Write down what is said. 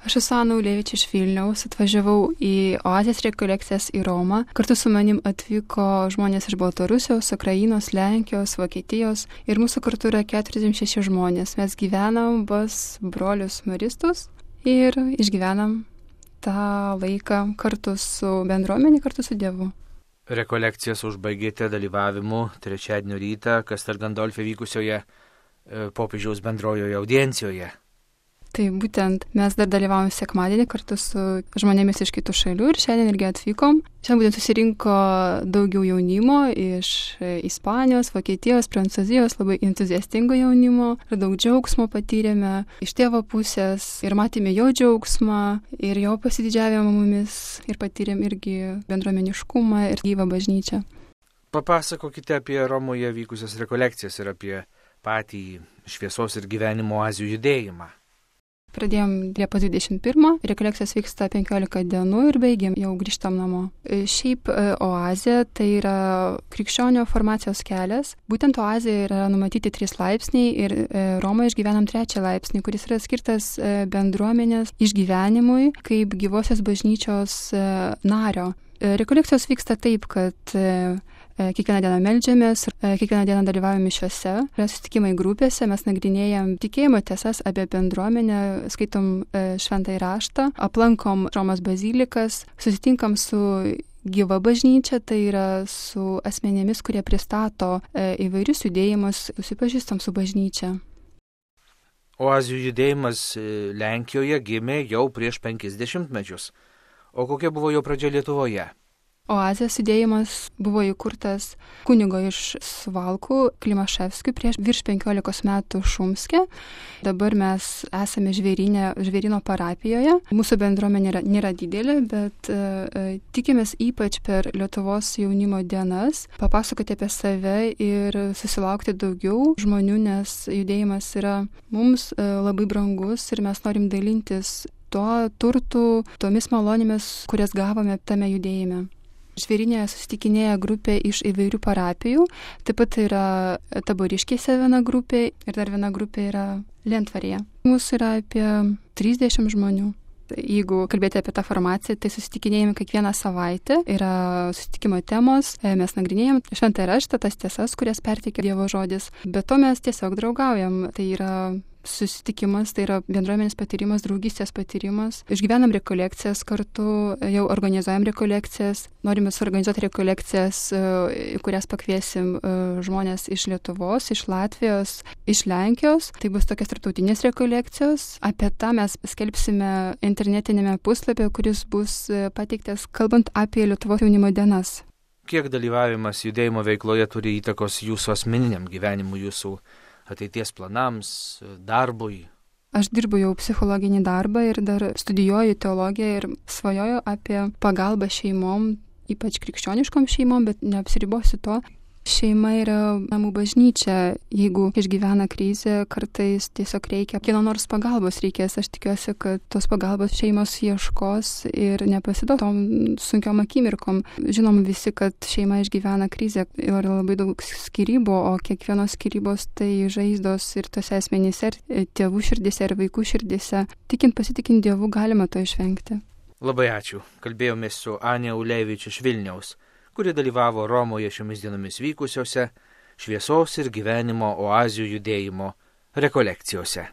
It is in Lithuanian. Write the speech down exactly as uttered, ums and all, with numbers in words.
Aš esu Ana Ulevič iš Vilniaus, atvažiavau į Oazės rekolekcijas į Romą. Kartu su manim atvyko žmonės iš Baltarusijos, Ukrainos, Lenkijos, Vokietijos ir mūsų kartu yra keturiasdešimt šeši žmonės. Mes gyvenam pas brolius maristus ir išgyvenam tą laiką kartu su bendruomenė, kartu su Dievu. Rekolekcijas užbaigėte dalyvavimu trečiadienio rytą Castel Gandolfe vykusioje e, popiežiaus bendrojoje audiencijoje. Tai būtent mes dar dalyvavom sekmadienį kartu su žmonėmis iš kitų šalių ir šiandien irgi atvykom. Šiandien būtent susirinko daugiau jaunimo iš Ispanijos, Vokietijos, Prancūzijos, labai entuziastingo jaunimo ir daug džiaugsmo patyrėme iš tėvo pusės ir matėme jo džiaugsmą ir jo pasididžiavimą mumis ir patyrėm irgi bendruomeniškumą ir gyvą bažnyčią. Papasakokite apie Romoje vykusias rekolekcijas ir apie patį šviesos ir gyvenimo oazių judėjimą. Pradėjom Liepos dvidešimt pirmą, rekolekcijos vyksta penkiolika dienų ir baigėm, jau grįžtam namo. Šiaip oazė tai yra krikščionio formacijos kelias. Būtent oazėje yra numatyti trys laipsniai ir Romoje išgyvenam trečią laipsnį, kuris yra skirtas bendruomenės išgyvenimui kaip gyvosios bažnyčios nario. Rekolekcijos vyksta taip, kad kiekvieną dieną meldžiamės, kiekvieną dieną dalyvaujame mišiuose, susitikimai grupėse, mes nagrinėjam tikėjimo tiesas apie bendruomenę, skaitom šventąjį raštą, aplankom Romos bazilikas, susitinkam su gyva bažnyčia, tai yra su asmenėmis, kurie pristato įvairius judėjimus, susipažįstam su bažnyčia. Oazių judėjimas Lenkijoje gimė jau prieš penkis dešimtmečius. O kokia buvo jo pradžia Lietuvoje? Oazės judėjimas buvo įkurtas kunigo iš Suvalkų Klimaševskių prieš virš penkiolikos metų Šumske. Dabar mes esame žvėryne, žvėryno parapijoje. Mūsų bendruomenė nėra, nėra didelė, bet e, tikimės ypač per Lietuvos jaunimo dienas papasakoti apie save ir susilaukti daugiau žmonių, nes judėjimas yra mums e, labai brangus ir mes norim dalintis tuo turtu, tomis malonėmis, kurias gavome tame judėjime. Žvėrynėje susitikinėja grupė iš įvairių parapijų, taip pat yra Taboriškėse viena grupė ir dar viena grupė yra Lentvaryje. Mūsų yra apie trisdešimt žmonių. Jeigu kalbėti apie tą formaciją, tai susitikinėjame kiekvieną savaitę, yra susitikimo temos, mes nagrinėjam šventąjį raštą, tas tiesas, kurias perteikia Dievo žodis, bet to mes tiesiog draugaujam, tai yra susitikimas, tai yra bendruomenės patyrimas, draugystės patyrimas. Išgyvenam rekolekcijas kartu, jau organizuojam rekolekcijas, norime suorganizuoti rekolekcijas, į kurias pakviesim žmonės iš Lietuvos, iš Latvijos, iš Lenkijos. Tai bus tokios tarptautinės rekolekcijos. Apie tą mes skelbsime internetinėme puslapyje, kuris bus pateiktas kalbant apie Lietuvos jaunimo dienas. Kiek dalyvavimas judėjimo veikloje turi įtakos jūsų asmeniniam gyvenimui, jūsų ateities planams, darbui? Aš dirbu jau psichologinį darbą ir dar studijuoju teologiją ir svajoju apie pagalbą šeimom, ypač krikščioniškom šeimom, bet neapsiribosiu to. Šeima yra namų bažnyčia. Jeigu išgyvena krizę, kartais tiesiog reikia kieno nors pagalbos reikės. Aš tikiuosi, kad tos pagalbos šeimos ieškos ir nepasiduos tom sunkiom akimirkom. Žinom visi, kad šeima išgyvena krizę ir labai daug skyrybų, o kiekvienos skyrybos tai žaizdos ir tose asmenyse, ir tėvų širdise, ir vaikų širdise. Tikint, pasitikint Dievu galima to išvengti. Labai ačiū. Kalbėjomės su Ana Ulevič iš Vilniaus, kuri dalyvavo Romoje šiomis dienomis vykusiose šviesos ir gyvenimo oazių judėjimo rekolekcijose.